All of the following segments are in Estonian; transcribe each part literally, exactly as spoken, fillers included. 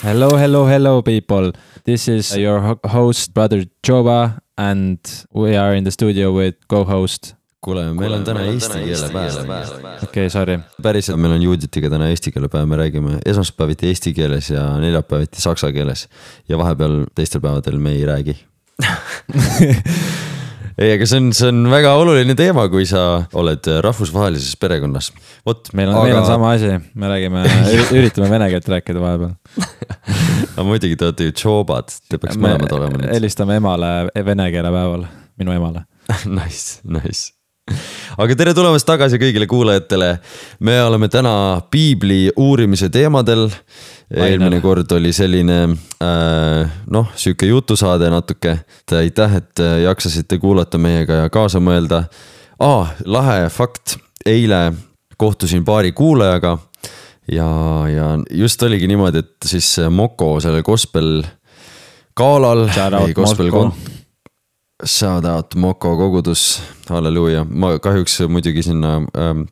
Hello, hello, hello people. This is your host, brother Joba, and we are in the studio with co-host. Kuule, meil on täna eesti keele päev. Okei, okay, sorry. Päriselt meil on Juditiga täna eesti keele päev, me räägime esmaspäeviti eesti keeles ja neljapäeviti saksa keeles. Ja vahepeal teistel päevadel me ei räägi. Ei, aga see on, see on väga oluline teema, kui sa oled rahvusvahelises perekonnas. Vot, meil on, aga... meil on sama asi, me räägime, üritame vene keelt rääkida vahepeal. Aga muidugi te olete ju Jobad, te peaks mõlemad olema nüüd. Helistame emale vene keele päeval, minu emale. Nice, nice. Aga tere tulemast tagasi kõigile kuulajatele. Me oleme täna piibli uurimise teemadel. Eelmine kord oli selline äh, noh, süüke jutusaade natuke. Aitäh, et jaksasite kuulata meiega ja kaasa mõelda. Ah, lahe fakt. Eile kohtusin paari kuulajaga ja, ja just oligi niimoodi, et siis Moko selle gospel kaalal või gospel kont- Shout out Moko kogudus, halleluuja. Ma kahjuks muidugi sinna ähm,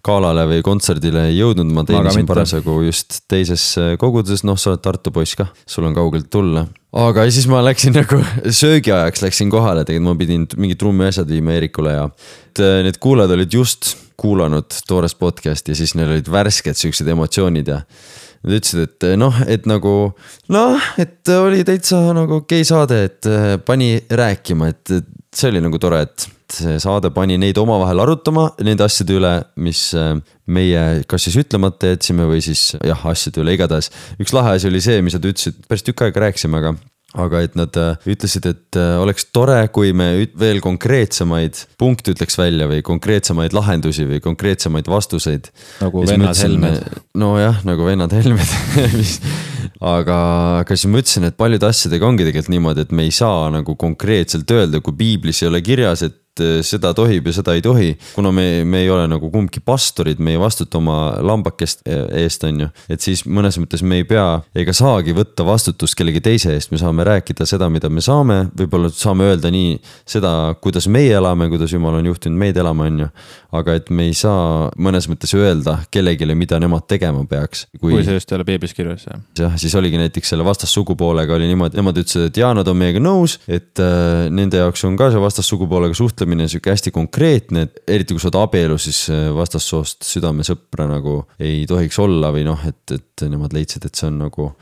kaalale või kontserdile ei jõudnud, ma teenisin parasagu just teises koguduses, noh sa oled Tartu poiss ka, sul on kaugelt tulla. Aga siis ma läksin nagu söögiajaks, läksin kohale, tegelikult ma pidin mingi trummi asjad viima Eerikule ja need kuulajad olid just kuulanud toores podcast ja siis neil olid värsked süksed emotsioonid ja nad ütlesid, et noh, et nagu, noh, et oli täitsa nagu okei saade, et pani rääkima, et see oli nagu tore, et see saade pani neid omavahel arutama nende asjade üle, mis meie kas siis ütlemata jätsime või siis jah, asjade üle igatahes. Üks lahe asi oli see, mis nad ütlesid, päris tükk aega rääksime, aga aga et nad ütlesid, et oleks tore, kui me veel konkreetsemaid punkte ütleks välja või konkreetsemaid lahendusi või konkreetsemaid vastuseid. Nagu vennad helmed. No jah, nagu vennad helmed. aga, aga siis ma ütlesin, et paljude asjadega ongi tegelikult niimoodi, et me ei saa nagu konkreetselt öelda, kui piiblis ei ole kirjas, et seda tohib ja seda ei tohi, kuna me, me ei ole nagu kumbki pastorid, me ei vastuta oma lambakest eest on ju, et siis mõnes mõttes me ei pea ega saagi võtta vastutust kellegi teise eest, me saame rääkida seda, mida me saame, võib-olla saame öelda nii seda, kuidas meie elame, kuidas Jumal on juhtinud meid elama on ju, aga et me ei saa mõnes mõttes öelda kellegile, mida nemad tegema peaks. Kui, kui see just ei ole piiblis kirjas, jah. jah, siis oligi näiteks selle vastassugupoolega oli niimoodi, nemad ütlesid, et jaa, nad on meiega nõus, et äh, nende jaoks on ka see vastassugupoolega suhtlemine siuke hästi konkreetne, et eriti kui sa oled abielu, siis vastassoost südamesõpra nagu ei tohiks olla või noh, et, et nemad leidsid, et see on nagu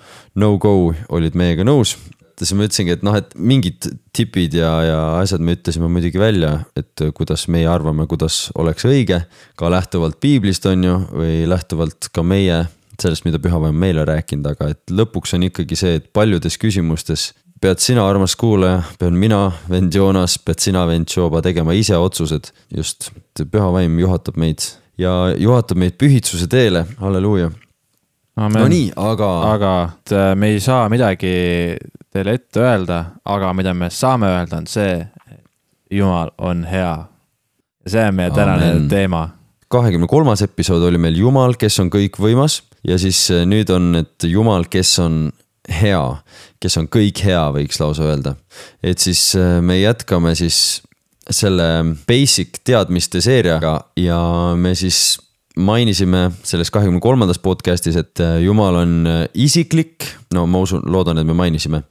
no go, olid meiega nõus. Siis ma ütlesingi, et noh, et mingid tipid ja, ja asjad me ütlesime muidugi välja, et kuidas meie arvame, kuidas oleks õige, ka lähtuvalt piiblist on ju, või lähtuvalt ka meie sellest, mida pühavaim meile rääkinud, aga et lõpuks on ikkagi see, et paljudes küsimustes pead sina, armas kuulaja, pean mina, vend Joonas, pead sina, vend Joba tegema ise otsused, just pühavaim juhatab meid ja juhatab meid pühitsuse teele, halleluuja. Amen. No nii, aga... Aga me ei saa midagi teile ette öelda, aga mida me saame öelda on see, Jumal on hea. Ja see on meie tänane Amen. Teema. kahekümne kolmas episood oli meil Jumal, kes on kõik võimas ja siis nüüd on, et Jumal, kes on hea, kes on kõik hea, võiks lausa öelda. Et siis me jätkame siis selle basic teadmiste seeriaga ja me siis mainisime selles kahekümne kolmandas podcastis, et Jumal on isiklik, no ma usun, loodan, et me mainisime,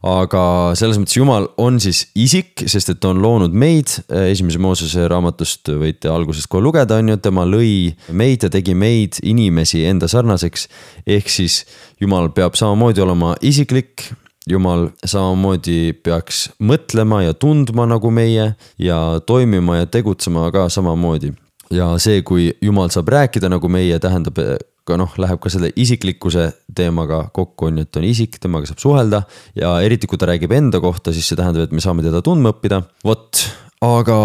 aga selles mõttes Jumal on siis isik, sest et on loonud meid, esimese Moosese raamatust võite algusest kohe lugeda, on ju, tema lõi meid ja tegi meid inimesi enda sarnaseks, ehk siis Jumal peab samamoodi olema isiklik, Jumal samamoodi peaks mõtlema ja tundma nagu meie ja toimima ja tegutsema ka samamoodi. Ja see, kui Jumal saab rääkida nagu meie, tähendab ka noh, läheb ka selle isiklikkuse teemaga kokku on, et on isik, temaga saab suhelda ja eriti kui ta räägib enda kohta, siis see tähendab, et me saame teda tundma õppida. Vot, aga,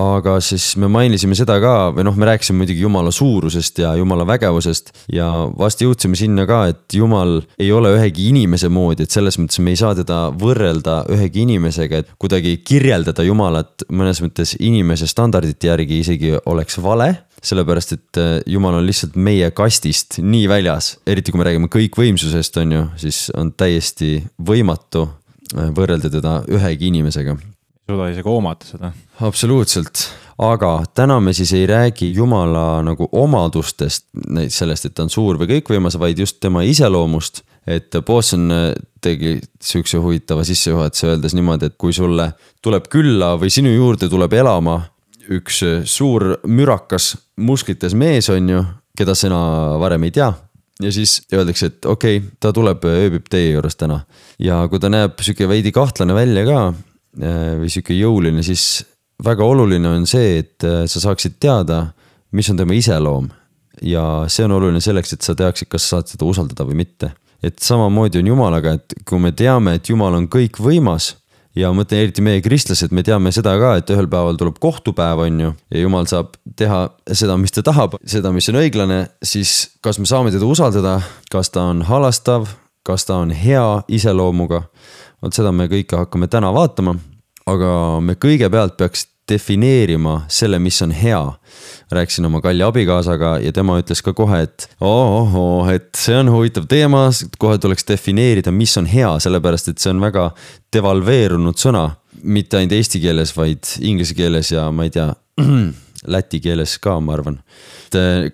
aga siis me mainisime seda ka, või noh, me rääkisime muidugi Jumala suurusest ja Jumala vägevusest ja vast jõudsime sinna ka, et Jumal ei ole ühegi inimese moodi, et selles mõttes me ei saa teda võrrelda ühegi inimesega, et kuidagi kirjeldada Jumalat mõnes mõttes inimese standardite järgi isegi oleks vale, sellepärast, et Jumal on lihtsalt meie kastist nii väljas, eriti kui me räägime kõikvõimsusest on ju, siis on täiesti võimatu võrrelda teda ühegi inimesega. Suuda isegi oomata seda. Absoluutselt, aga täna me siis ei räägi Jumala nagu omadustest, sellest, et ta on suur või kõikvõimas, vaid just tema iseloomust, et Bosson tegi siukse huvitava sissejuhatuse öeldes niimoodi, et kui sulle tuleb külla või sinu juurde tuleb elama üks suur mürakas musklites mees on ju, keda sina varem ei tea. Ja siis öeldakse, et okei, okay, ta tuleb ööbib teie juures täna. Ja kui ta näeb siuke veidi kahtlane välja ka või siuke jõuline, siis väga oluline on see, et sa saaksid teada, mis on tema iseloom. Ja see on oluline selleks, et sa teaksid, kas sa saad seda usaldada või mitte. Et samamoodi on Jumalaga, et kui me teame, et Jumal on kõik võimas ja mõtlen eriti meie kristlased, me teame seda ka, et ühel päeval tuleb kohtupäev on ju ja Jumal saab teha seda, mis ta tahab, seda, mis on õiglane, siis kas me saame teda usaldada, kas ta on halastav, kas ta on hea iseloomuga, vot seda me kõike hakkame täna vaatama, aga me kõigepealt peaks defineerima selle, mis on hea. Rääksin oma kalli abikaasaga ja tema ütles ka kohe, et oh, oh, et see on huvitav teema, kohe tuleks defineerida, mis on hea, sellepärast et see on väga devalveerunud sõna, mitte ainult eesti keeles, vaid inglise keeles ja ma ei tea, läti keeles ka, ma arvan.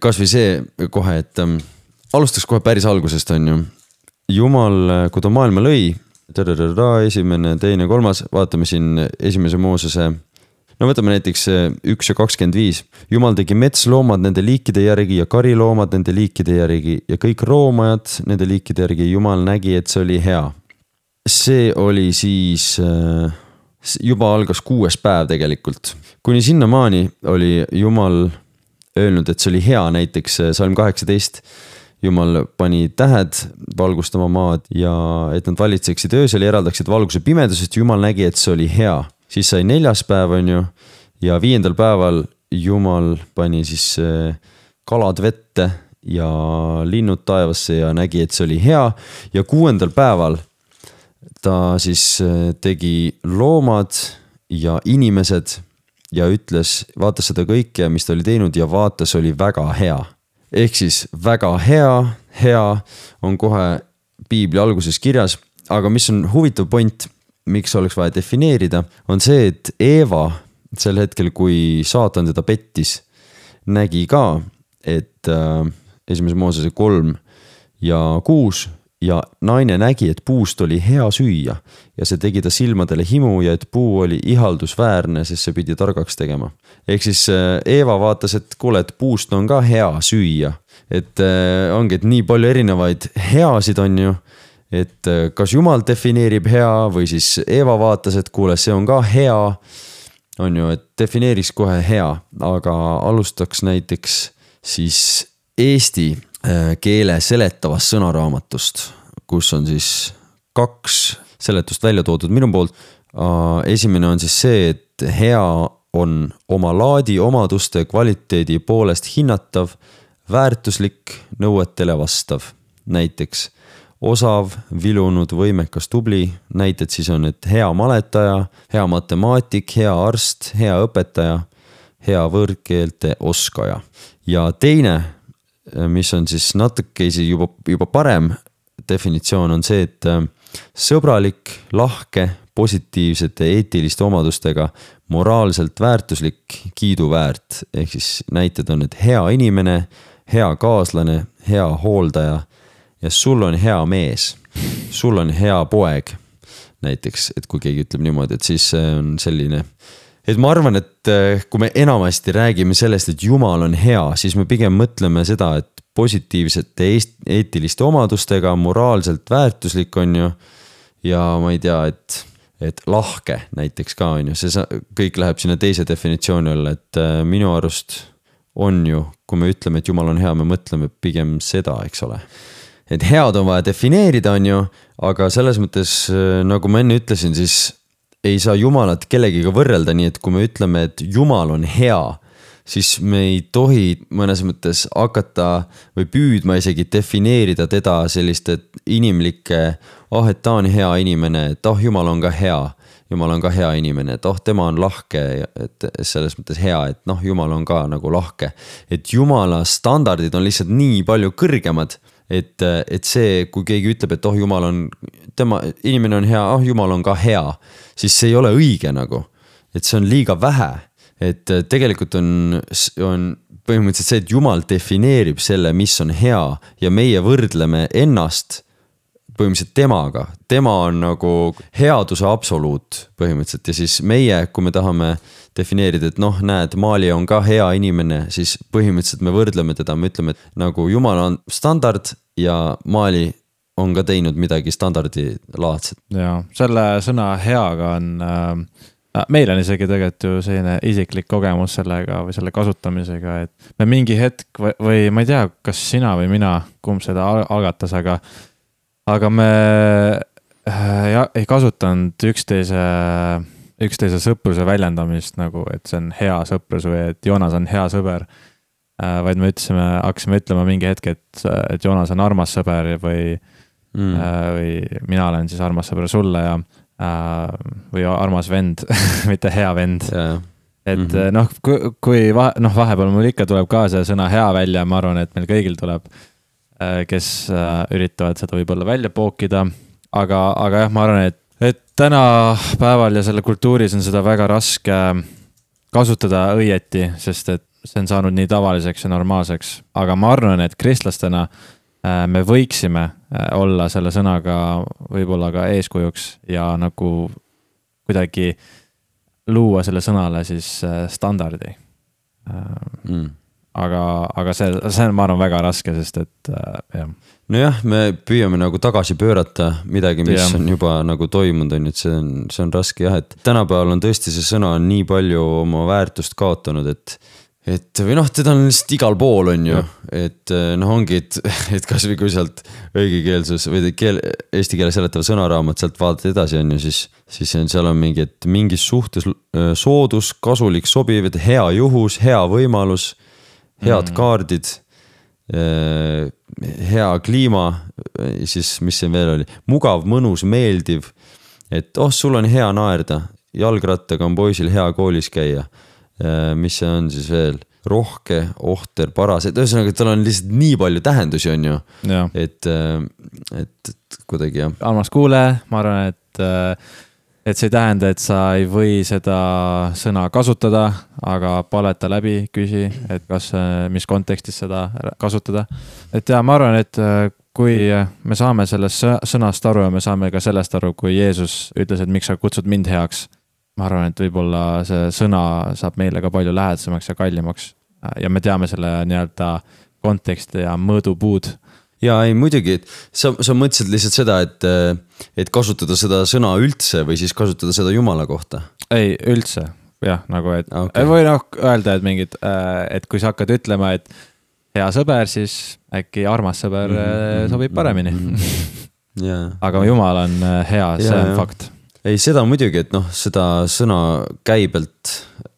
Kas või see kohe, et um, alustaks kohe päris algusest on ju. Jumal, kui ta maailma lõi, esimene, teine, kolmas, vaatame siin esimese Moosese. No võtame näiteks üks ja kakskümmend viis. Jumal tegi metsloomad nende liikide järgi ja kariloomad nende liikide järgi ja kõik roomajad nende liikide järgi. Jumal nägi, et see oli hea. See oli siis, juba algas kuues päev tegelikult. Kuni sinna maani oli Jumal öelnud, et see oli hea, näiteks salm kaheksateist. Jumal pani tähed valgustama maad ja et nad valitseksid öösel ja eraldaksid valguse pimedusest. Jumal nägi, et see oli hea. Siis sai neljas päev on ju ja viiendal päeval Jumal pani siis kalad vette ja linnud taevasse ja nägi, et see oli hea. Ja kuuendal päeval ta siis tegi loomad ja inimesed ja ütles, vaatas seda kõike, mis ta oli teinud ja vaatas oli väga hea. Ehk siis väga hea, hea on kohe piibli alguses kirjas, aga mis on huvitav point, miks oleks vaja defineerida, on see, et Eeva sel hetkel, kui saatan teda pettis, nägi ka, et äh, esimese Moosese kolm ja kuus ja naine nägi, et puust oli hea süüa ja see tegi ta silmadele himu ja et puu oli ihaldusväärne, sest see pidi targaks tegema. Ehk siis äh, Eeva vaatas, et kuule, et puust on ka hea süüa, et äh, ongi, et nii palju erinevaid heasid on ju, et kas Jumal defineerib hea või siis Eeva vaatas, et kuule, see on ka hea, on ju, et defineeriks kohe hea, aga alustaks näiteks siis eesti keele seletavast sõnaraamatust, kus on siis kaks seletust välja toodud minu poolt. Esimene on siis see, et hea on oma laadi omaduste kvaliteedi poolest hinnatav, väärtuslik, nõuetele vastav, näiteks osav, vilunud, võimekas, tubli, näited siis on, et hea maletaja, hea matemaatik, hea arst, hea õpetaja, hea võõrkeelte oskaja. Ja teine, mis on siis natuke juba, juba parem definitsioon on see, et sõbralik, lahke, positiivsete eetiliste omadustega, moraalselt väärtuslik, kiiduväärt, ehk siis näited on, et hea inimene, hea kaaslane, hea hooldaja, ja sul on hea mees, sul on hea poeg, näiteks, et kui keegi ütleb niimoodi, et siis on selline, et ma arvan, et kui me enamasti räägime sellest, et Jumal on hea, siis me pigem mõtleme seda, et positiivsete eetiliste omadustega, moraalselt väärtuslik on ju, ja ma ei tea, et, et lahke näiteks ka on ju, see kõik läheb sinna teise definitsiooni alla, et minu arust on ju, kui me ütleme, et Jumal on hea, me mõtleme pigem seda, eks ole. Et head on vaja defineerida on ju, aga selles mõttes, nagu ma enne ütlesin, siis ei saa Jumalat kellegiga võrrelda, nii et kui me ütleme, et Jumal on hea, siis me ei tohi mõnes mõttes hakata või püüdma isegi defineerida teda selliste inimlike, ah, et ta on hea inimene, et ah, Jumal on ka hea, Jumal on ka hea inimene, et ah, tema on lahke, et selles mõttes hea, et noh, Jumal on ka nagu lahke. Et Jumala standardid on lihtsalt nii palju kõrgemad, et, et see, kui keegi ütleb, et oh, Jumal on, tema inimene on hea, ah, Jumal on ka hea, siis see ei ole õige nagu, et see on liiga vähe, et tegelikult on, on põhimõtteliselt see, et Jumal defineerib selle, mis on hea ja meie võrdleme ennast põhimõtteliselt temaga, tema on nagu headuse absoluut põhimõtteliselt ja siis meie, kui me tahame defineerida, et noh, näed, Maali on ka hea inimene, siis põhimõtteliselt me võrdleme teda, me ütleme, et nagu Jumal on standard ja Maali on ka teinud midagi standardilaadset. Ja selle sõna heaga on äh, meil on isegi tegelikult ju selline isiklik kogemus sellega või selle kasutamisega, et me mingi hetk või, või ma ei tea, kas sina või mina, kumb seda algatas, aga, aga me ja, ei kasutanud üksteise, üksteise sõpruse väljendamist nagu, et see on hea sõprus või et Joonas on hea sõber, vaid me ütlesime, hakkasime ütlema mingi hetk, et, et Joonas on armas sõber või, mm. või mina olen siis armas sõber sulle ja või armas vend, mitte hea vend. Yeah. Et mm-hmm. noh, kui, kui vahe, noh, vahepeal mul ikka tuleb ka see sõna hea välja, ma arvan, et meil kõigil tuleb, kes üritavad seda võib-olla välja pookida, aga, aga jah, ma arvan, et, et täna päeval ja selle kultuuris on seda väga raske kasutada õieti, sest et see on saanud nii tavaliseks ja normaalseks, aga ma arvan, et kristlastena me võiksime olla selle sõnaga võib-olla ka eeskujuks ja nagu kuidagi luua selle sõnale siis standardi. Mm. Aga, aga see, see on, ma arvan, väga raske, sest et jah. Nojah, me püüame nagu tagasi pöörata midagi, mis ja. on juba nagu toimunud, on, et see on, see on raske jah, et tänapäeval on tõesti see sõna nii palju oma väärtust kaotanud, et et või noh, teda on lihtsalt igal pool on ju, ja. et noh ongi, et, et kas või kui sealt õigekeelsus või keel, eesti keele seletava sõnaraamat sealt vaadata edasi on ju, siis, siis seal on mingi, et mingis suhtes soodus, kasulik, sobiv, et hea juhus, hea võimalus, head mm. kaardid, hea kliima, siis mis see veel oli, mugav, mõnus, meeldiv, et oh, sul on hea naerda, jalgrattaga on poisil hea koolis käia. Mis see on siis veel, rohke, ohter, paras, et ühesõnaga, et tal on lihtsalt nii palju tähendusi on ju, et, et, et kuidagi jah. Armas kuule, ma arvan, et, et see ei tähenda, et sa ei või seda sõna kasutada, aga paleta läbi, küsi, et kas, mis kontekstis seda kasutada. Et ja ma arvan, et kui me saame sellest sõnast aru ja me saame ka sellest aru, kui Jeesus ütles, et miks sa kutsud mind heaks, ma arvan, et võib-olla see sõna saab meile ka palju lähedasemaks ja kallimaks ja me teame selle nii-öelda konteksti ja mõõdupuud. Ja ei muidugi, et sa, sa mõtlesid lihtsalt seda, et, et kasutada seda sõna üldse või siis kasutada seda Jumala kohta? Ei, üldse, jah, nagu et okay. Või noh, öelda, et mingid, et kui sa hakkad ütlema, et hea sõber, siis äkki armas sõber mm-hmm. sobib paremini. Mm-hmm. Yeah. Aga Jumal on hea, see yeah, on yeah. fakt. Ei, seda muidugi, et noh, seda sõna käibelt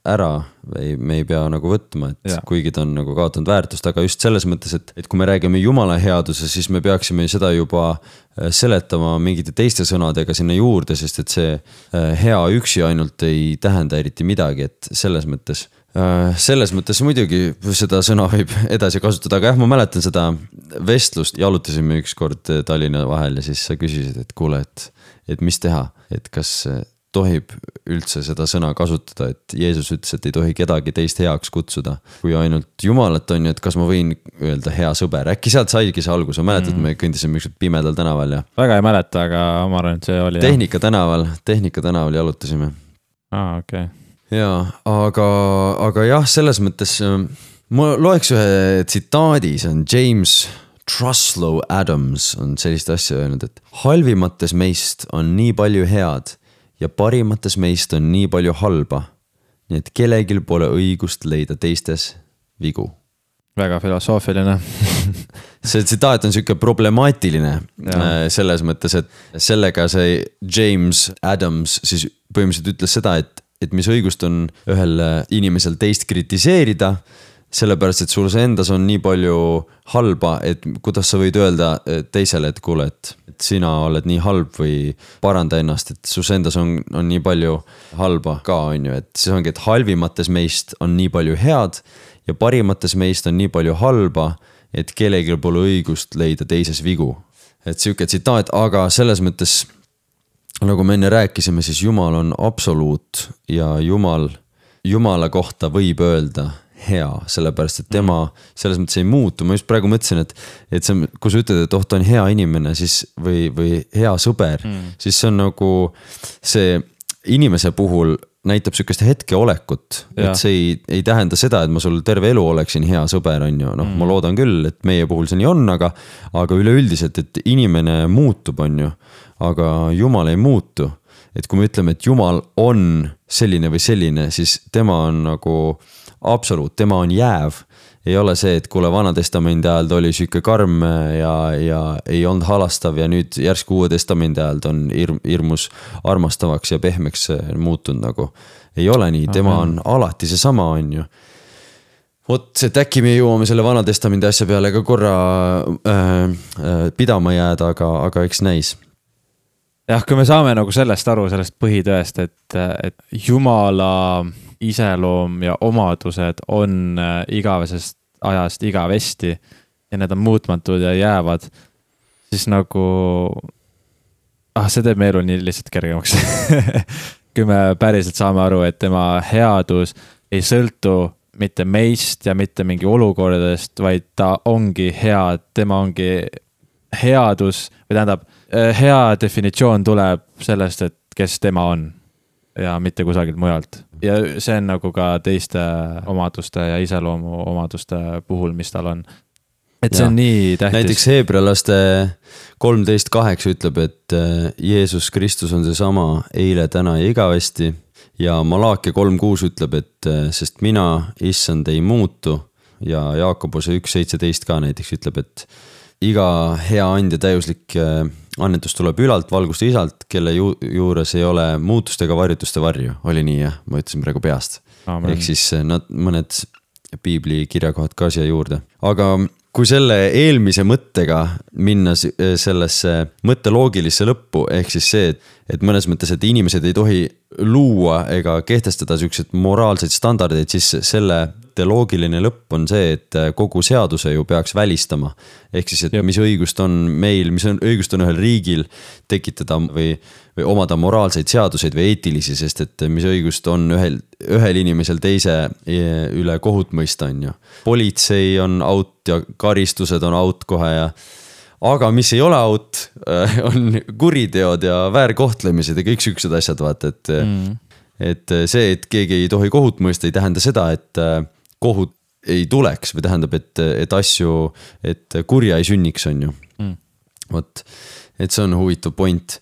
ära või me ei pea nagu võtma, et ja. kuigi ta on nagu kaotanud väärtust, aga just selles mõttes, et, et kui me räägime Jumala headuse, siis me peaksime seda juba seletama mingite teiste sõnadega sinna juurde, sest et see hea üksi ainult ei tähenda eriti midagi, et selles mõttes, selles mõttes muidugi seda sõna võib edasi kasutada, aga jah, ma mäletan seda vestlust, jalutasime üks kord Tallinna vahel ja siis sa küsisid, et kuule, et, et mis teha, et kas tohib üldse seda sõna kasutada, et Jeesus ütles, et ei tohi kedagi teist heaks kutsuda, kui ainult Jumalat on ju, et kas ma võin öelda hea sõber, äkki sealt saigi see algus, mäletad, mm. me kõndisime ükskord pimedal tänaval ja väga ei mäleta, aga ma arvan, et see oli Tehnika jah. tänaval, Tehnika tänaval jalutasime. Aa, okei okay. Ja, aga, aga jah, selles mõttes ma loeks ühe tsitaadi, see on James Truslow Adams on sellist asja öelnud, et halvimates meist on nii palju head ja parimates meist on nii palju halba, nii et kellegil pole õigust leida teistes vigu. Väga filosoofiline. See tsitaat on siuke problemaatiline ja. Selles mõttes, et sellega see James Adams siis põhimõtteliselt ütles seda, et, et mis õigust on ühel inimesel teist kritiseerida, sellepärast, et sul see endas on nii palju halba, et kuidas sa võid öelda teisele, et kuule, et, et sina oled nii halb või paranda ennast, et sus endas on, on nii palju halba ka, on ju, et siis ongi, et halvimates meist on nii palju head ja parimates meist on nii palju halba, et kellelgi pole õigust leida teises vigu. Et siuke tsitaat, aga selles mõttes, nagu me enne rääkisime, siis Jumal on absoluut ja Jumal, Jumala kohta võib öelda hea, sellepärast et tema selles mõttes ei muutu. Ma just praegu mõtlesin, et, et see, kui sa ütled, et oh, ta on hea inimene siis, või, või hea sõber, mm. siis see on nagu see inimese puhul näitab sükest hetkeolekut, et see ei, ei tähenda seda, et ma sul terve elu oleksin hea sõber, on ju, noh mm. ma loodan küll, et meie puhul see nii on, aga, aga üleüldiselt, et inimene muutub, on ju, aga Jumal ei muutu. Et kui me ütleme, et Jumal on selline või selline, siis tema on nagu absoluut, tema on jääv. Ei ole see, et kuule Vana Testamendi ajal ta oli süke karm ja, ja ei olnud halastav ja nüüd järsku Uue Testamendi ajal ta on hirm, hirmus armastavaks ja pehmeks muutunud nagu. Ei ole nii, tema on alati see sama, on ju. Vot, et äkki me jõuame selle Vana Testamendi asja peale ka korra äh, äh, pidama jääda, aga, aga eks näis. Jah, kui me saame nagu sellest aru, sellest põhitõest, et, et Jumala iseloom ja omadused on igavesest ajast igavesti ja need on muutmatud ja jäävad, siis nagu ah, see teeb me elu nii lihtsalt kergemaks. Kui me päriselt saame aru, et tema headus ei sõltu mitte meist ja mitte mingi olukordadest, vaid ta ongi hea, tema ongi headus või tähendab, hea definitsioon tuleb sellest, et kes tema on ja mitte kusagilt mujalt. Ja see on nagu ka teiste omaduste ja iseloomu omaduste puhul, mis tal on. Et see ja. On nii tähtis. Näiteks Heebrealaste kolmteist kaheksa ütleb, et Jeesus Kristus on see sama eile, täna ja igavesti. Ja Malakia kolm kuus ütleb, et sest mina, issand, ei muutu. Ja Jaakobuse üks seitseteist ka näiteks ütleb, et iga hea andja täiuslik annetus tuleb ülalt, valgust isalt, kelle ju, juures ei ole muutuste ega varjutuste varju. Oli nii, jah? Ma ütlesin praegu peast. Amen. Ehk siis nad, mõned piibli kirjakohad ka siia juurde. Aga kui selle eelmise mõttega minna sellesse mõtteloogilisse lõppu, ehk siis see, et, et mõnes mõttes, et inimesed ei tohi luua ega kehtestada sellised moraalseid standardeid, siis selle loogiline lõpp on see, et kogu seaduse ju peaks välistama. Ehk siis, et Jep. mis õigust on meil, mis on õigust on ühel riigil tekitada või, või omada moraalseid seaduseid või eetilisi, sest et mis õigust on ühel, ühel inimesel teise üle kohut mõista, on ju. Politsei on out ja karistused on out kohe ja aga mis ei ole out, on kuriteod ja väärkohtlemised ja kõik süksed asjad, vaata, et, mm. et see, et keegi ei tohi kohut mõista, ei tähenda seda, et kohut ei tuleks või tähendab, et, et asju, et kurja ei sünniks, on ju. Mm. Vot, et see on huvitav point.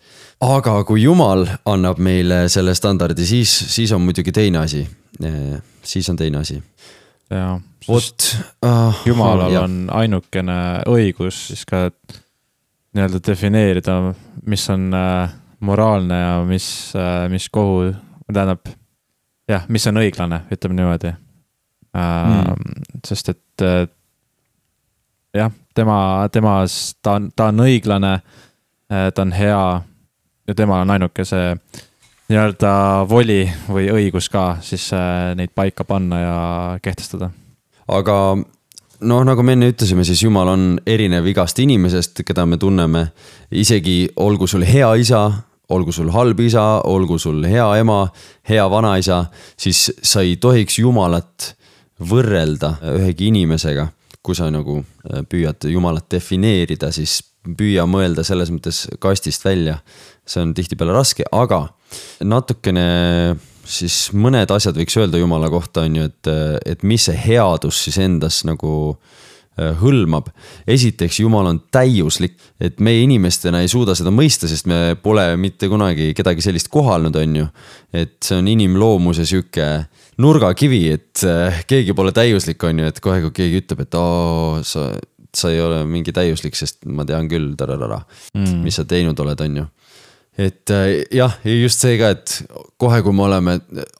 Aga kui Jumal annab meile selle standardi, siis, siis on muidugi teine asi. Siis on teine asi. Ja, Vot, uh, Jumalal uh, on ainukene õigus siis ka nii-öelda defineerida, mis on uh, moraalne ja mis, uh, mis kohu tähendab, jah, mis on õiglane, ütleme niimoodi. Mm. Sest et jah, tema, temas, ta on, ta on õiglane, ta on hea ja temal on ainuke see nii-öelda voli või õigus ka siis neid paika panna ja kehtestada. Aga noh, nagu me enne ütlesime, siis Jumal on erinev igast inimesest, keda me tunneme, isegi olgu sul hea isa, olgu sul halb isa, olgu sul hea ema, hea vanaisa, siis sa ei tohiks Jumalat võrrelda ühegi inimesega, kui sa nagu püüad Jumalat defineerida, siis püüa mõelda selles mõttes kastist välja. See on tihtipeale raske, aga natukene siis mõned asjad võiks öelda Jumala kohta, on ju, et, et mis see headus siis endas nagu hõlmab. Esiteks, Jumal on täiuslik, et meie inimestena ei suuda seda mõista, sest me pole mitte kunagi kedagi sellist kohalnud, on ju. Et see on inimloomuse süke nurgakivi, et keegi pole täiuslik, on ju, et kohe kui keegi ütleb, et oo, sa, sa ei ole mingi täiuslik, sest ma tean küll, tararara, mm. mis sa teinud oled, on ju. Et jah, just see ka, et kohe kui me oleme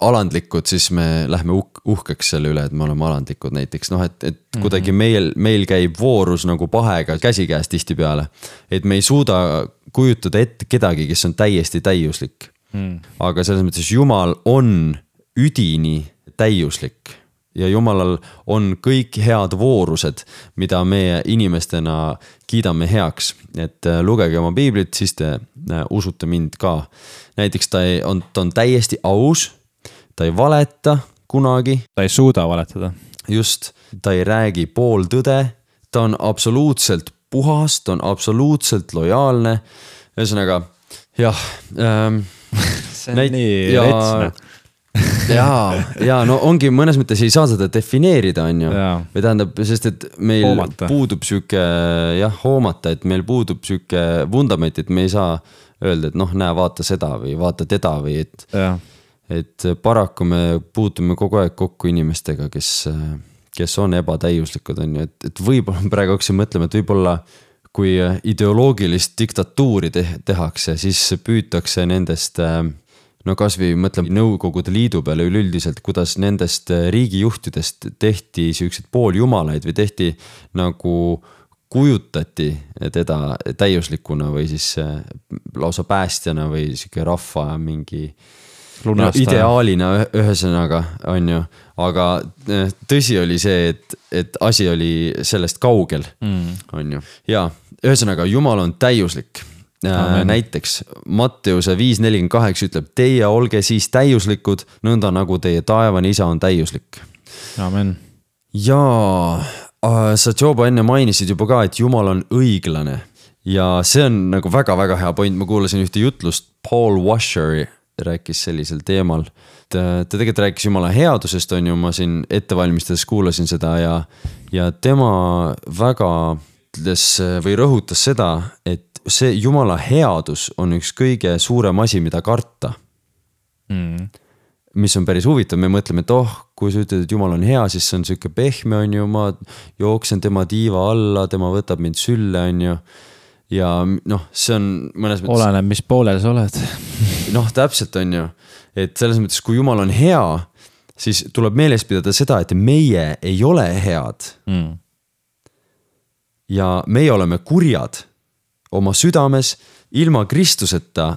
alandlikud, siis me lähme uh- uhkeks selle üle, et me oleme alandlikud näiteks. Noh, et, et mm-hmm. kuidagi meil, meil käib voorus nagu pahega käsikäes tihti peale. Et me ei suuda kujutada ette kedagi, kes on täiesti täiuslik. Mm. Aga selles mõttes Jumal on üdini täiuslik ja Jumalal on kõik head voorused, mida meie inimestena kiidame heaks. Et lugege oma piiblit, siis te usute mind ka. Näiteks ta on, ta on täiesti aus, ta ei valeta kunagi. Ta ei suuda valetada. just, ta ei räägi pooltõde, ta on absoluutselt puhas, ta on absoluutselt lojaalne. Ühesõnaga, jah ähm,. see on näit- nii ja... retsne. jaa, jaa, no ongi mõnes mõttes ei saa seda defineerida, on ju. Või tähendab, sest et meil hoomata. Puudub süke, jah, hoomata, et meil puudub süke vundament, et me ei saa öelda, et noh, näe, vaata seda või vaata teda või et, et paraku me puutume kogu aeg kokku inimestega, kes, kes on ebatäiuslikud, on ju, et, et võib-olla praegu hakkasin mõtlema, et võib-olla kui ideoloogilist diktatuuri te- tehakse, siis püütakse nendest no kasvõi mõtleme Nõukogude Liidu peale üleüldiselt, kuidas nendest riigijuhtidest tehti siuksed pooljumalaid või tehti nagu kujutati teda täiuslikuna või siis lausa päästjana või siuke rahva mingi no, ideaalina ühesõnaga on ju, aga tõsi oli see, et, et asi oli sellest kaugel mm. on ju ja ühesõnaga Jumal on täiuslik. Amen. Näiteks Matteuse viis nelikümmend kaheksa ütleb, teie olge siis täiuslikud, nõnda nagu teie taevane isa on täiuslik. Amen. Ja sa Joba enne mainisid juba ka, et Jumal on õiglane ja see on nagu väga-väga hea point, ma kuulasin ühte jutlust, Paul Washer rääkis sellisel teemal, ta tegelikult rääkis Jumala headusest, on ju, ma siin ettevalmistades kuulasin seda ja, ja tema väga ütles või rõhutas seda, et see Jumala headus on üks kõige suurem asi, mida karta. Mm. Mis on päris huvitav, me mõtleme, et oh, kui sa ütled, et Jumal on hea, siis see on siuke pehme, on ju, ma jooksen tema tiiva alla, tema võtab mind sülle, on ju. Ja noh, see on mõnes mõttes... Oleneb, mis poolel sa oled. noh, täpselt on ju, et selles mõttes, kui Jumal on hea, siis tuleb meeles pidada seda, et meie ei ole head. Mm. Ja meie oleme kurjad oma südames, ilma Kristuseta,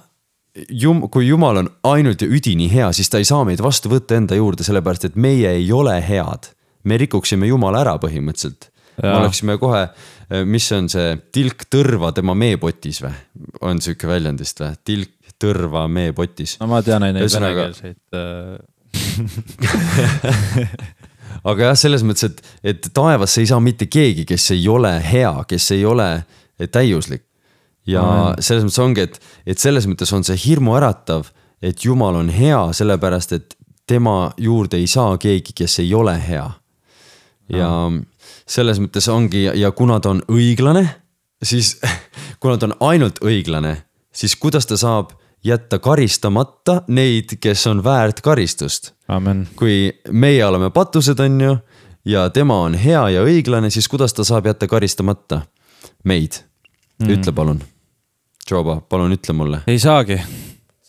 jum, kui Jumal on ainult ja üdini hea, siis ta ei saa meid vastu võtta enda juurde, sellepärast et meie ei ole head. Me rikuksime Jumala ära põhimõtteliselt. Me oleksime kohe, mis on see tilk tõrva tema meepotis või? On siuke väljendist või? Tilk tõrva meepotis. No ma tean neid venekeelseid. Aga jah, selles mõttes, et, et taevasse ei saa mitte keegi, kes ei ole hea, kes ei ole täiuslik. Ja Amen. Selles mõttes ongi, et, et selles mõttes on see hirmu äratav, et Jumal on hea, sellepärast, et tema juurde ei saa keegi, kes ei ole hea. Ja Amen. Selles mõttes ongi, ja kuna ta on õiglane, siis kuna ta on ainult õiglane, siis kuidas ta saab jätta karistamata neid, kes on väärt karistust. Amen. Kui meie oleme patused, on ju, ja tema on hea ja õiglane, siis kuidas ta saab jätta karistamata meid? Mm. Ütle palun. Joba, palun ütle mulle. Ei saagi,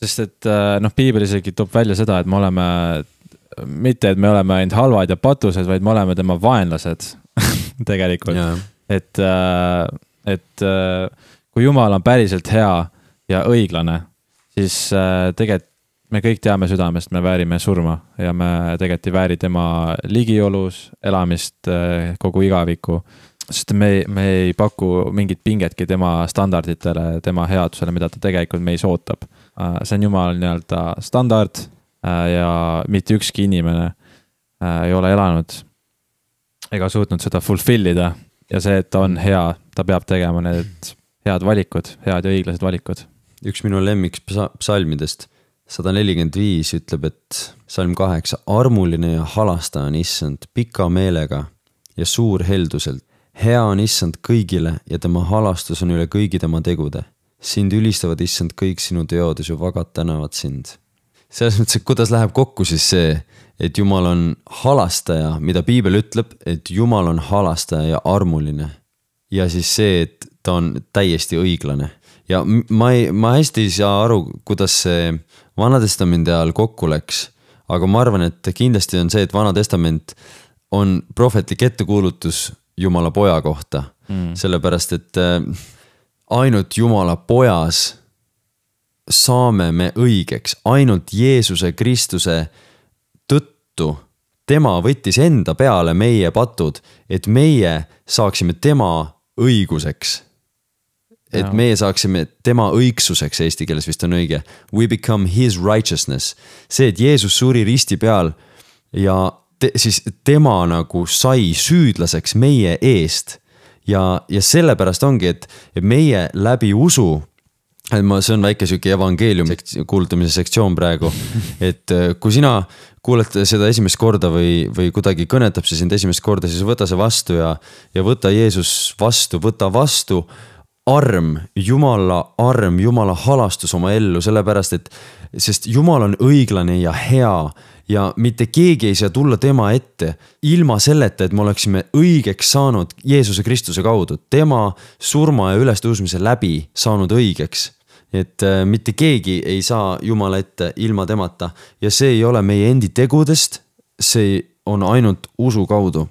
sest et noh, piibel isegi toob välja seda, et me oleme, mitte et me oleme ainult halvad ja patused, vaid me oleme tema vaenlased tegelikult. Ja. Et, et kui Jumal on päriselt hea ja õiglane, siis tegelikult me kõik teame südamest, me väärime surma ja me tegelikult ei vääri tema ligiolus, elamist kogu igaviku. Sest me, me ei paku mingit pingetki tema standarditele, tema headusele, mida ta tegelikult meis ootab. See on Jumal nii-öelda standard ja mitte ükski inimene ei ole elanud ega suutnud seda fulfillida ja see, et ta on hea, ta peab tegema need head valikud, head ja õiglased valikud. Üks minu lemmiks psalmidest, sada nelikümmend viis ütleb, et psalm kaheksa, armuline ja halastaja on issand pika meelega ja suur helduselt. Hea on issand kõigile ja tema halastus on üle kõigi tema tegude. Sind ülistavad issand kõik sinu teod ja su vagad tänavad sind. Selles mõttes, et kuidas läheb kokku siis see, et Jumal on halastaja, mida piibel ütleb, et Jumal on halastaja ja armuline. Ja siis see, et ta on täiesti õiglane. Ja ma, ei, ma hästi ei saa aru, kuidas see Vana Testamendi ajal kokku läks, aga ma arvan, et kindlasti on see, et Vana Testament on prohvetlik ettekuulutus Jumala poja kohta, mm. sellepärast, et ainult Jumala pojas saame me õigeks, ainult Jeesuse Kristuse tõttu tema võttis enda peale meie patud, et meie saaksime tema õiguseks. Et ja. Meie saaksime tema õigsuseks, eesti keeles vist on õige. We become his righteousness. See, et Jeesus suri risti peal ja te, siis tema nagu sai süüdlaseks meie eest ja, ja sellepärast ongi, et, et meie läbi usu, et ma, see on väike süki evangeeliumi kuulutamise sektsioon praegu, et kui sina kuuled seda esimest korda või, või kuidagi kõnetab see sind esimest korda, siis võta see vastu ja, ja võta Jeesus vastu, võta vastu arm, Jumala arm, Jumala halastus oma ellu, sellepärast et, sest Jumal on õiglane ja hea ja mitte keegi ei saa tulla tema ette ilma selleta, et me oleksime õigeks saanud Jeesuse Kristuse kaudu, tema surma ja ülestõusmise läbi saanud õigeks. Et mitte keegi ei saa Jumala ette ilma temata ja see ei ole meie endi tegudest, see on ainult usu kaudu.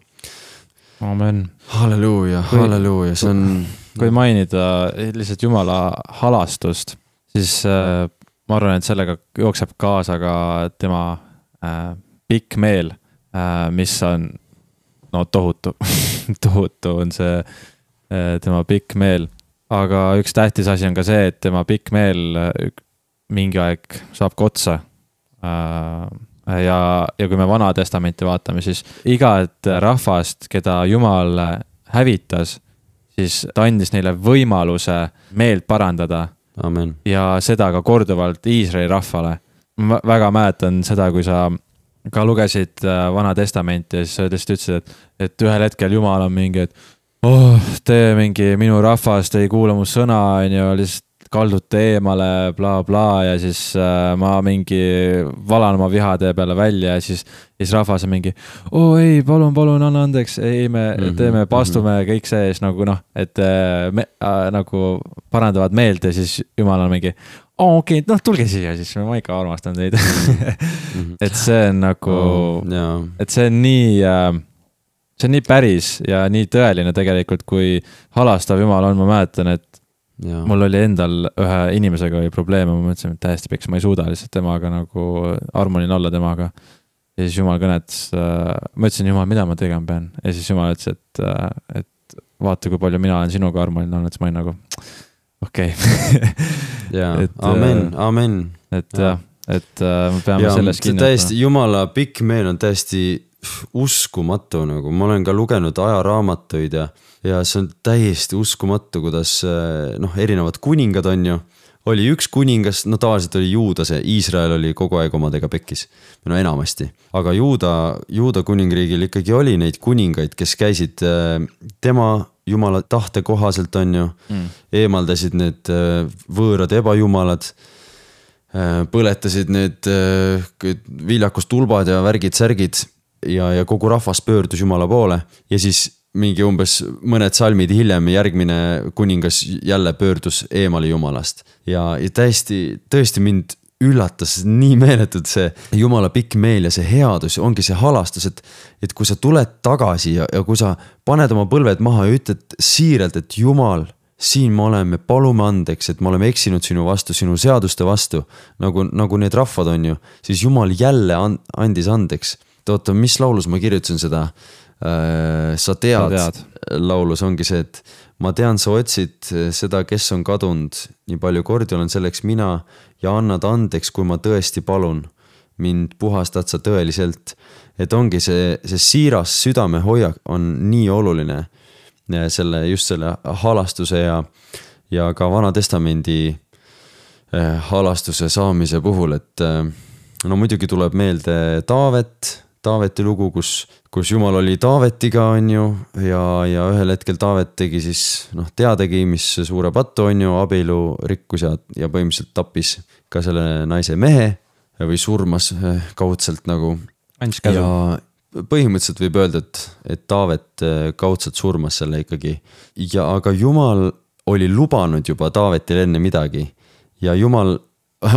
Amen. Halleluuja, halleluuja, see on... Kui mainida lihtsalt Jumala halastust, siis äh, ma arvan, et sellega jookseb kaasa ka tema äh, pikk meel, äh, mis on no tohutu, tohutu on see äh, tema pikk meel. Aga üks tähtis asi on ka see, et tema pikk meel mingi aeg saab otsa. Äh, ja, ja kui me Vana Testamenti vaatame, siis igat rahvast, keda Jumal hävitas, siis ta andis neile võimaluse meelt parandada. Amen. Ja seda ka korduvalt Iisraeli rahvale. Ma väga mäletan seda, kui sa ka lugesid Vana Testamenti ja siis sa lihtsalt ütlesid, et, et ühel hetkel Jumal on mingi, et oh, te mingi minu rahvast ei kuula mu sõna, on ju, lihtsalt kaldute eemale, bla bla ja siis äh, ma mingi valan oma vihade peale välja ja siis, siis rahvas on mingi, oo ei, palun, palun, anna andeks, ei, me mm-hmm, teeme, pastume mm-hmm. kõik see ees nagu noh, et me äh, nagu parandavad meelt ja siis Jumal on mingi, oo okei, okay, noh tulge siia siis, ma ikka armastan teid mm-hmm. et see on nagu oh, yeah. et see on nii äh, see on nii päris ja nii tõeline tegelikult, kui halastav Jumal on, ma mäletan, et ja. Mul oli endal ühe inimesega oli probleeme, ma mõtlesin, et täiesti peks, ma ei suuda lihtsalt temaga nagu armonin olla temaga. Ja siis Jumal kõnetas, äh, ma ütlesin, Jumal, mida ma tegema pean? Ja siis Jumal ütles, et, äh, et vaata, kui palju mina olen sinuga armonin olnud, siis ma olin nagu, okei. Okay. ja, amen, amen. Et ja, et äh, me peame ja, selles kinni. Täiesti, Jumala pikk meel on täiesti uskumatu, nagu ma olen ka lugenud ajaraamatuid ja ja see on täiesti uskumatu, kuidas noh, erinevad kuningad on ju, oli üks kuningas, no tavaliselt oli Juuda see, Iisrael oli kogu aeg omadega pekkis, no enamasti, aga Juuda, Juuda kuningriigil ikkagi oli neid kuningaid, kes käisid tema Jumala tahte kohaselt on ju, mm. eemaldasid need võõrad ebajumalad, põletasid need viljakustulbad ja värgid, särgid ja, ja kogu rahvas pöördus Jumala poole ja siis mingi umbes mõned salmid hiljem järgmine kuningas jälle pöördus eemale Jumalast ja, ja täiesti, tõesti mind üllatas nii meeletult see Jumala pikk meel ja see headus ongi see halastus, et, et kui sa tuled tagasi ja, ja kui sa paned oma põlved maha ja ütled siiralt, et Jumal, siin me oleme, palume andeks, et me oleme eksinud sinu vastu, sinu seaduste vastu, nagu, nagu need rahvad on ju, siis Jumal jälle andis andeks. Oota, mis laulus ma kirjutasin seda? Sa tead, tead, laulus ongi see, et ma tean, sa otsid seda, kes on kadunud, nii palju kordi olen selleks mina ja annad andeks, kui ma tõesti palun, mind puhastad sa tõeliselt, et ongi see, see siiras südame hoiak on nii oluline selle, just selle halastuse ja, ja ka Vana Testamendi halastuse saamise puhul, et no muidugi tuleb meelde Taavet, Taaveti lugu, kus, kus Jumal oli Taavetiga on ju ja, ja ühel hetkel Taavet tegi siis noh, teadegi, mis suure pattu on ju, abielu rikkus ja, ja põhimõtteliselt tappis ka selle naise mehe või surmas kaudselt nagu. Ja põhimõtteliselt võib öelda, et, et Taavet kaudselt surmas selle ikkagi. Ja aga Jumal oli lubanud juba Taavetile enne midagi ja Jumal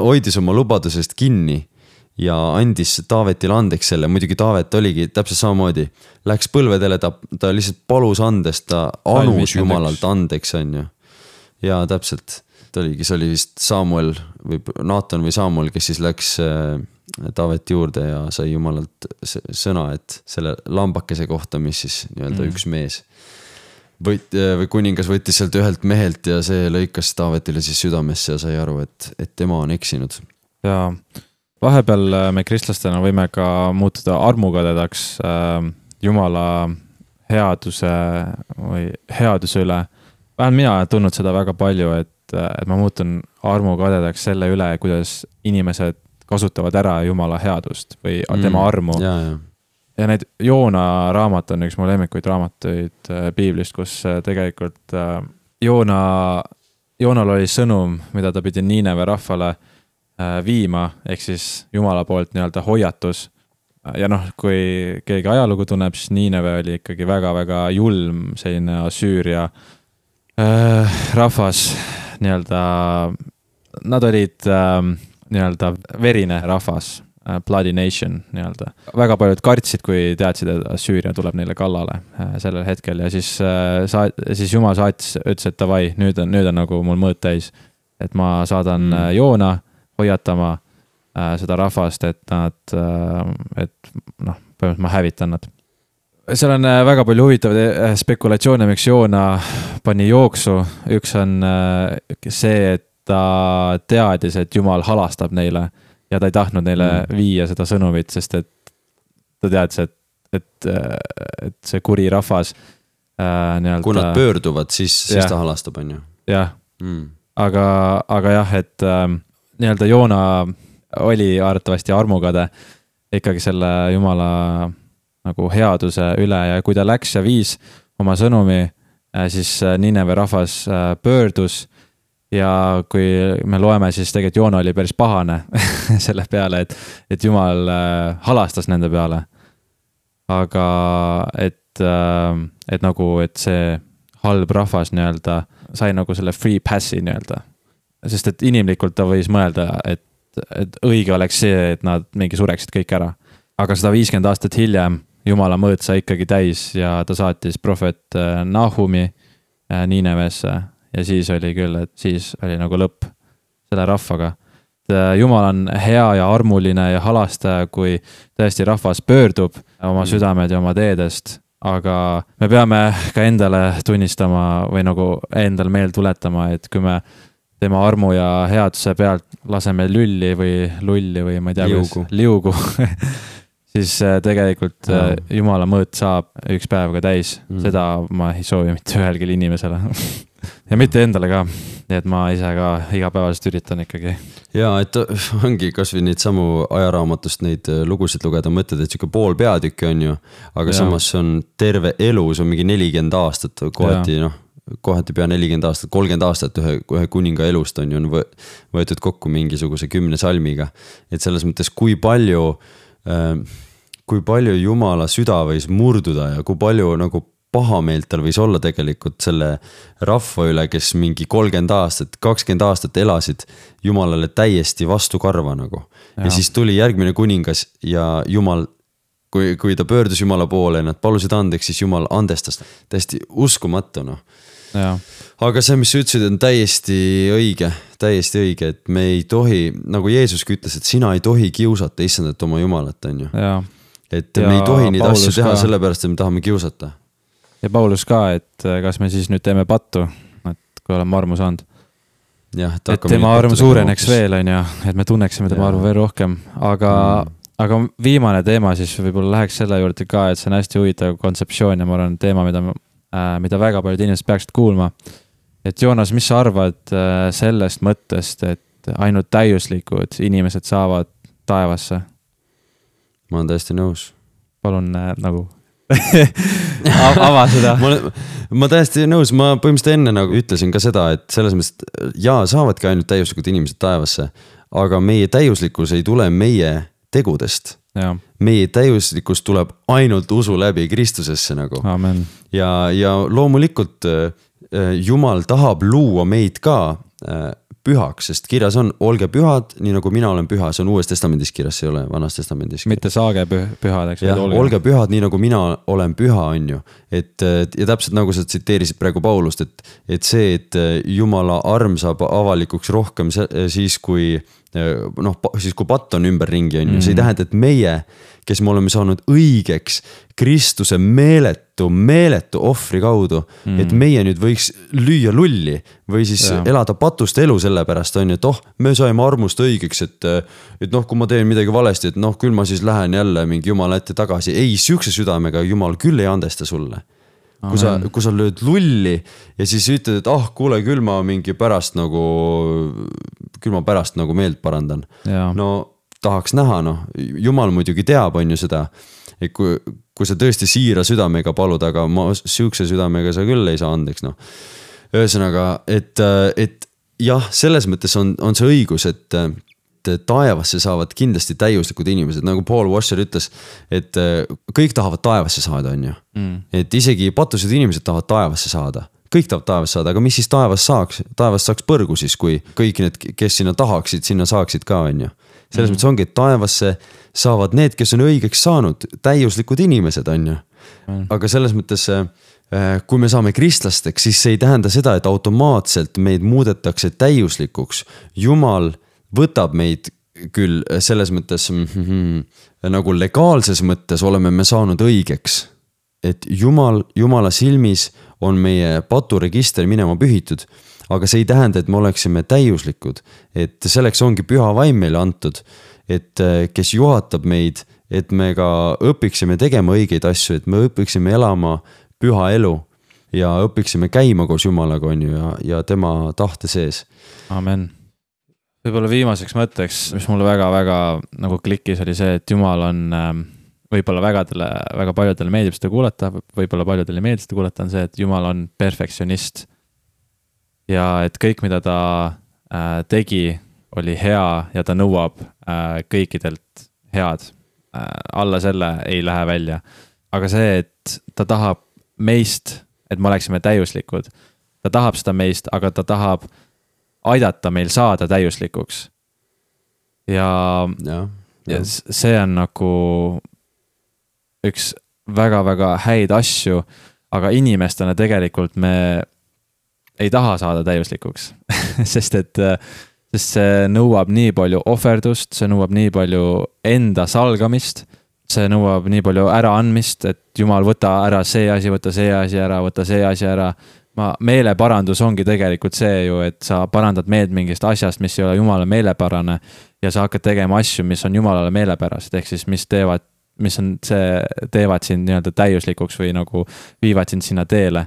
hoidis oma lubadusest kinni ja andis Taavetile andeks selle, muidugi Taavet oligi täpselt samamoodi, läks põlvedele, ta, ta lihtsalt palus andest, ta anus Jumalalt andeks on ju. Ja täpselt, ta oligi, see oli vist Samuel või Naatan või Samuel, kes siis läks Taaveti juurde ja sai Jumalalt sõna, et selle lambakese kohta, mis siis nii-öelda mm. üks mees Võt, või kuningas võttis sealt ühelt mehelt ja see lõikas Taavetile siis südamesse ja sai aru, et, et tema on eksinud. Jaa, vahepeal me kristlastena võime ka muutuda armukadedaks äh, Jumala headuse või headuse üle. Vähemalt mina olen tundnud seda väga palju, et, et ma muutun armukadedaks selle üle, kuidas inimesed kasutavad ära Jumala headust või mm, tema armu. Ja, ja. ja need Joona raamat on üks mu lemmikuid raamatuid äh, piiblist, kus äh, tegelikult äh, Joona, Joonal oli sõnum, mida ta pidi Niineve rahvale äh, viima, ehk siis Jumala poolt nii-öelda hoiatus. Ja noh, kui keegi ajalugu tunneb, siis Niineve oli ikkagi väga-väga julm selline Asüüria äh, rahvas nii-öelda, nad olid äh, nii-öelda verine rahvas, äh, bloody nation nii-öelda. Väga paljud kartsid, kui teadsid, et Asüüria tuleb neile kallale äh, sellel hetkel ja siis, äh, saat, siis Jumal saatis, ütles, et davai, nüüd on, nüüd on nagu mul mõõt täis, et ma saadan mm. Joona hoiatama seda rahvast, et nad, et noh, põhimõtteliselt ma hävitan nad. Seal on väga palju huvitavaid spekulatsioone, miks Joona pani jooksu. Üks on see, et ta teadis, et Jumal halastab neile ja ta ei tahtnud neile mm. viia seda sõnumit, sest et ta teadis, et, et, et see kuri rahvas nii-öelda... Kui nad pöörduvad, siis, siis ta halastab, on ju? Jah, mm. aga, aga jah, et nii-öelda Joona oli arvatavasti armukade ikkagi selle Jumala nagu headuse üle ja kui ta läks ja viis oma sõnumi, siis Niineve rahvas pöördus ja kui me loeme, siis tegelikult Joona oli päris pahane selle peale, et, et Jumal halastas nende peale. Aga et, et nagu, et see halb rahvas nii-öelda sai nagu selle free passi nii-öelda. Sest et inimlikult ta võis mõelda, et et õige oleks see, et nad mingi sureksid kõik ära. Aga sada viiskümmend aastat hiljem Jumala mõõt sai ikkagi täis ja ta saatis prohvet Nahumi Niinevesse ja siis oli küll, et siis oli nagu lõpp selle rahvaga. Jumal on hea ja armuline ja halastaja, kui tõesti rahvas pöördub oma südamed ja oma teedest, aga me peame ka endale tunnistama või nagu endal meel tuletama, et kui me tema armu ja headuse pealt laseme lülli või lulli või ma ei tea, liugu, liugu. siis tegelikult ja. Jumala mõõt saab üks päev ka täis. Mm. Seda ma ei soovi mitte ühelgi inimesele ja mitte endale ka. Nii et ma ise ka igapäevaselt üritan ikkagi. Ja, et ongi kas või neid samu ajaraamatust neid lugusid lugeda, mõtled, et siuke pool peatükki on ju, aga ja. Samas on terve elu, see on mingi nelikümmend aastat kohati, noh, kohati pea nelikümmend aastat, kolmkümmend aastat ühe, ühe kuninga elust on ju on võetud kokku mingisuguse kümne salmiga. Et selles mõttes, kui palju, kui palju Jumala süda võis murduda ja kui palju nagu pahameelt tal võis olla tegelikult selle rahva üle, kes mingi kolmkümmend aastat, kakskümmend aastat elasid Jumalale täiesti vastu karva nagu. Ja, ja siis tuli järgmine kuningas ja Jumal, kui, kui ta pöördus Jumala poole ja nad palusid andeks, siis Jumal andestas. Täiesti uskumatu, noh. Ja. Aga see, mis sa ütlesid, on täiesti õige, täiesti õige, et me ei tohi, nagu Jeesuski ütles, et sina ei tohi kiusata issandat oma Jumalat, on ju. Ja. Et ja me ei tohi neid Paulus asju teha ka. Sellepärast, et me tahame kiusata. Ja Paulus ka, et kas me siis nüüd teeme pattu, et kui oleme armu saanud. Ja, et tema arm suureneks veel, on ju, et me tunneksime tema armu veel rohkem, aga, mm. aga viimane teema siis võib-olla läheks selle juurde ka, et see on hästi huvitav kontseptsioon ja ma arvan teema, mida mida väga paljud inimesed peaksid kuulma. Et Joonas, mis sa arvad sellest mõttest, et ainult täiuslikud inimesed saavad taevasse? Ma olen täiesti nõus. Palun nagu ava seda. ma, ma täiesti nõus, ma põhimõtteliselt enne nagu ütlesin ka seda, et selles mõttes, jaa, saavadki ainult täiuslikud inimesed taevasse, aga meie täiuslikkus ei tule meie tegudest. Ja. Meie täiuslikkus tuleb ainult usu läbi Kristusesse nagu. Amen. Ja, ja loomulikult Jumal tahab luua meid ka pühaks, sest kirjas on, olge pühad, nii nagu mina olen püha, see on uues testamendis kirjas, see ei ole vanas testamendis. Mitte saage pühad, eks. Ja, olge. olge pühad, nii nagu mina olen püha, on ju. Et, ja täpselt nagu sa tsiteerisid praegu Paulust, et, et see, et Jumala arm saab avalikuks rohkem siis, kui noh, siis kui patt on ümber ringi, on ju, see ei tähenda, et meie, kes me oleme saanud õigeks Kristuse meeletu, meeletu ohvri kaudu, mm. et meie nüüd võiks lüüa lulli või siis ja. elada patust elu selle pärast, on ju, et oh, me saime armust õigeks, et, et noh, kui ma teen midagi valesti, et noh, küll ma siis lähen jälle mingi Jumala ette tagasi. Ei, sihukese südamega Jumal küll ei andesta sulle. Kui sa, kui sa lööd lulli ja siis ütled, et ah, kuule, küll ma mingi pärast nagu, küll ma pärast nagu meelt parandan. Ja. No tahaks näha, noh, Jumal muidugi teab, on ju seda, et kui, kui sa tõesti siira südamega palud, aga ma sihukese südamega sa küll ei saa andeks, noh. Ühesõnaga, et, et jah, selles mõttes on, on see õigus, et taevasse saavad kindlasti täiuslikud inimesed, nagu Paul Washer ütles, et kõik tahavad taevasse saada, on ju. Mm. Et isegi patused inimesed tahavad taevasse saada. Kõik tahavad taevasse saada, aga mis siis taevas saaks? Taevas saaks põrgu siis, kui kõik need, kes sinna tahaksid, sinna saaksid ka, on ju. Selles mm. mõttes ongi, et taevasse saavad need, kes on õigeks saanud, täiuslikud inimesed, on ju. Mm. Aga selles mõttes, kui me saame kristlasteks, siis see ei tähenda seda, et automaatselt meid muudetakse täiuslikuks. Jumal võtab meid küll selles mõttes mm, nagu legaalses mõttes oleme me saanud õigeks, et Jumal, Jumala silmis on meie paturegister minema pühitud, aga see ei tähenda, et me oleksime täiuslikud, et selleks ongi püha vaim meile antud, et kes juhatab meid, et me ka õpiksime tegema õigeid asju, et me õpiksime elama püha elu ja õpiksime käima koos Jumalaga, on ju, ja, ja tema tahte sees. Amen. Võib-olla viimaseks mõtteks, mis mulle väga-väga nagu klikkis, oli see, et Jumal on võib-olla vägadele, väga paljudele meeldib seda kuulata, võib-olla paljudele meeldib seda kuulata, on see, et Jumal on perfektsionist. Ja et kõik, mida ta äh, tegi, oli hea ja ta nõuab äh, kõikidelt head. Äh, alla selle ei lähe välja. Aga see, et ta tahab meist, et me oleksime täiuslikud. Ta tahab seda meist, aga ta tahab aidata meil saada täiuslikuks. Ja, ja, ja. ja see on nagu üks väga-väga häid asju, aga inimestena tegelikult me ei taha saada täiuslikuks, sest et sest see nõuab nii palju ohverdust, see nõuab nii palju enda salgamist, see nõuab nii palju äraandmist, et Jumal võta ära see asi, võta see asi ära, võta see asi ära. Ma, meeleparandus ongi tegelikult see ju, et sa parandad meeld mingist asjast, mis ei ole Jumala meelepärane ja sa hakkad tegema asju, mis on Jumalale meelepärased, ehk siis mis teevad, mis on see, teevad sind nii-öelda täiuslikuks või nagu viivad sind sinna teele.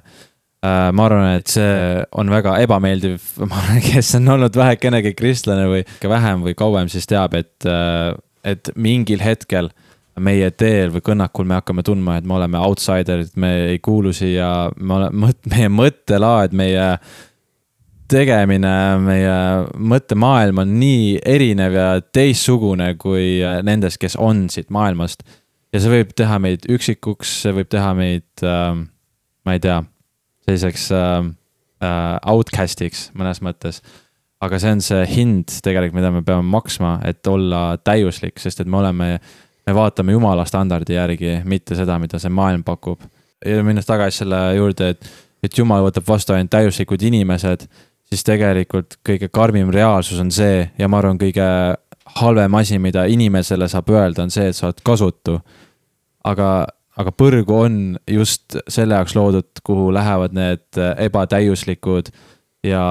Ma arvan, et see on väga ebameeldiv, ma arvan, kes on olnud vähekenegi kristlane või vähem või kauem, siis teab, et, et mingil hetkel meie teel või kõnnakul me hakkame tundma, et me oleme outsiderid, me ei kuulu siia, me oleme, meie mõttelaad, meie tegemine, meie mõttemaailm on nii erinev ja teissugune kui nendest, kes on siit maailmast. Ja see võib teha meid üksikuks, see võib teha meid, äh, ma ei tea, selliseks äh, outcastiks mõnes mõttes. Aga see on see hind tegelikult, mida me peame maksma, et olla täiuslik, sest et me oleme me vaatame Jumala standardi järgi, mitte seda, mida see maailm pakub. Ja minnes tagasi selle juurde, et, et Jumal võtab vastu ainult täiuslikud inimesed, siis tegelikult kõige karmim reaalsus on see, ja ma arvan, kõige halvem asi, mida inimesele saab öelda, on see, et sa oled kasutu. Aga, aga põrgu on just selle jaoks loodud, kuhu lähevad need ebatäiuslikud ja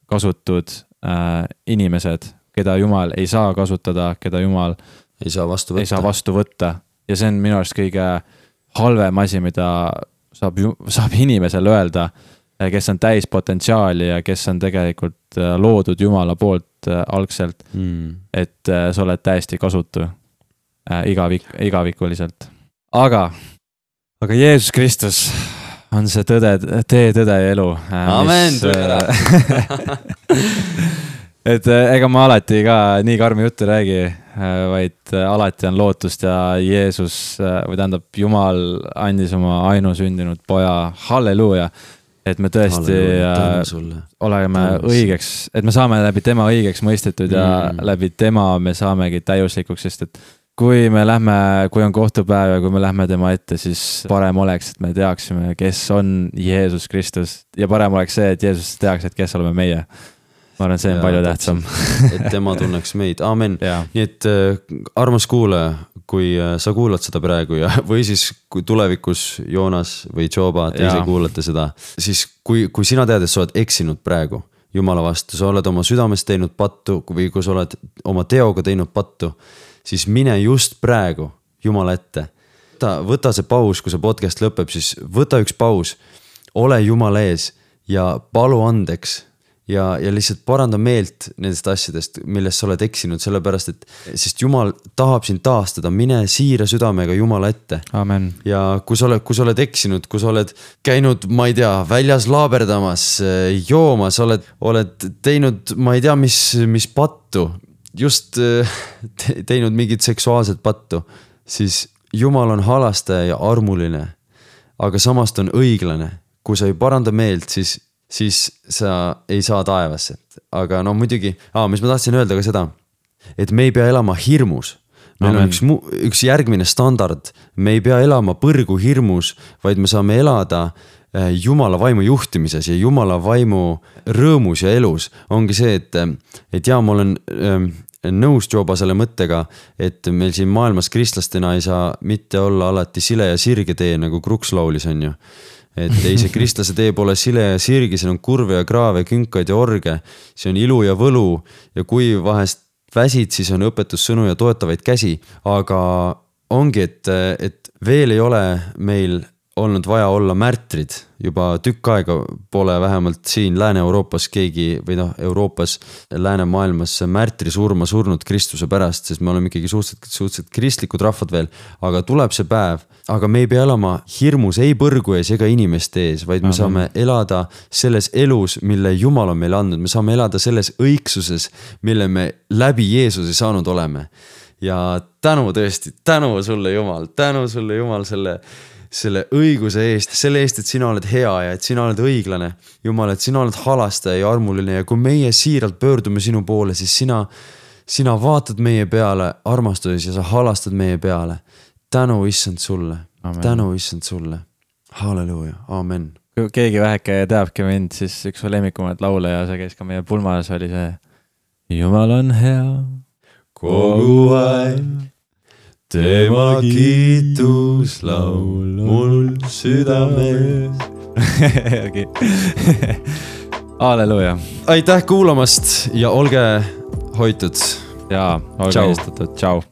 kasutud äh, inimesed, keda Jumal ei saa kasutada, keda Jumal ei saa vastu võtta. Ei saa vastu võtta. Ja see on minu arust kõige halvem asi, mida saab, saab inimesele öelda, kes on täis potentsiaali ja kes on tegelikult loodud Jumala poolt algselt, mm. et sa oled täiesti kasutu igavik, igavikuliselt. Aga, aga Jeesus Kristus on see tõde, tee, tõde ja elu. Amen, tule ära. Et ega ma alati ka nii karmi juttu räägi, vaid alati on lootust ja Jeesus või tähendab Jumal andis oma ainusündinud poja, halleluuja, et me tõesti oleme õigeks, et me saame läbi tema õigeks mõistetud ja mm. läbi tema me saamegi täiuslikuks, sest et kui me lähme, kui on kohtupäev ja kui me lähme tema ette, siis parem oleks, et me teaksime, kes on Jeesus Kristus ja parem oleks see, et Jeesus teaks, et kes oleme meie. ma arvan, see on ja, palju tähtsam. Et tema tunneks meid, aamen. Nii et äh, armas kuulaja, kui äh, sa kuulad seda praegu ja, või siis kui tulevikus Joonas või Joba, te ise kuulate seda, siis kui, kui sina tead, et sa oled eksinud praegu Jumala vastu, sa oled oma südames teinud pattu või kui sa oled oma teoga teinud pattu, siis mine just praegu Jumala ette. Võta, võta see paus, kui see podcast lõpeb, siis võta üks paus, ole Jumala ees ja palu andeks ja, ja lihtsalt paranda meelt nendest asjadest, millest sa oled eksinud, sellepärast et sest Jumal tahab sind taastada, mine siira südamega Jumala ette. Amen. Ja kui sa oled, kui sa oled eksinud, kui sa oled käinud, ma ei tea, väljas laaberdamas, joomas, oled, oled teinud, ma ei tea, mis, mis pattu, just teinud mingit seksuaalset pattu, siis Jumal on halastaja ja armuline, aga samast on õiglane. Kui sa ei paranda meelt, siis, siis sa ei saa taevasse. Aga no muidugi, aa, mis ma tahtsin öelda ka seda, et me ei pea elama hirmus. Meil on üks, üks järgmine standard. Me ei pea elama põrgu hirmus, vaid me saame elada Jumala vaimu juhtimises ja Jumala vaimu rõõmus ja elus. Ongi see, et, et jaa, ma olen nõus Joba selle mõttega, et meil siin maailmas kristlastena ei saa mitte olla alati sile ja sirge tee, nagu Kruks laulis on ju. Et ei see kristlase tee pole sile ja sirge, siin on kurve ja kraave, künkaid ja orge, see on ilu ja võlu ja kui vahest väsid, siis on õpetussõnu ja toetavaid käsi, aga ongi, et, et veel ei ole meil olnud vaja olla märtrid, juba tükk aega pole vähemalt siin Lääne-Euroopas keegi või noh, Euroopas, Läänemaailmas märtri surma surnud Kristuse pärast, sest me oleme ikkagi suhteliselt, suhteliselt kristlikud rahvad veel, aga tuleb see päev, aga me ei pea elama hirmus ei põrgu ees ega inimeste ees, vaid me Aha. saame elada selles elus, mille Jumal on meile andnud, me saame elada selles õigsuses, mille me läbi Jeesuse saanud oleme. Ja tänu tõesti, tänu sulle Jumal, tänu sulle Jumal selle selle õiguse eest, selle eest, et sina oled hea ja et sina oled õiglane. Jumal, et sina oled halastaja ja armuline ja kui meie siiralt pöördume sinu poole, siis sina, sina vaatad meie peale armastuses ja sa halastad meie peale. Tänu issand sulle, Amen. Tänu issand sulle. Halleluuja, amen. Kui keegi väheke teabki mind, siis üks lemmikumaid laule ja see käis ka meie pulmas oli see Jumal on hea kogu aeg. Tema kiituslaul mul südames. Halleluja. Aitäh kuulamast ja olge hoitud. Ja olge istutud. Tšau.